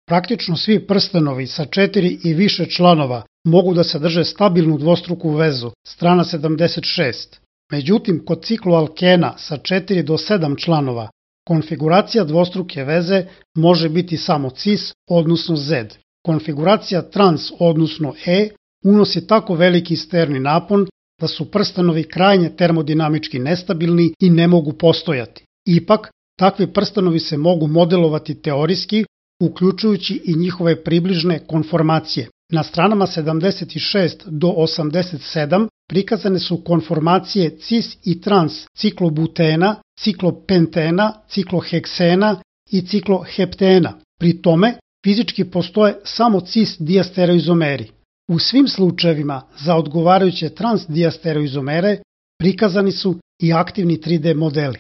Praktično svi prstenovi sa 4 i više članova mogu da sadrže stabilnu dvostruku vezu, strana 76. Međutim, kod cikloalkena sa 4 do 7 članova, konfiguracija dvostruke veze može biti samo cis, odnosno Z. Konfiguracija trans, odnosno E, unosi tako veliki sterni napon da su prstenovi krajnje termodinamički nestabilni i ne mogu postojati. Ipak, takvi prstenovi se mogu modelovati teorijski, uključujući i njihove približne konformacije. Na stranama 76 do 87 prikazane su konformacije cis i trans ciklobutena, ciklopentena, cikloheksena i cikloheptena. Pri tome, fizički postoje samo cis diastereoizomeri. U svim slučajevima za odgovarajuće trans diastereoizomere prikazani su i aktivni 3D modeli.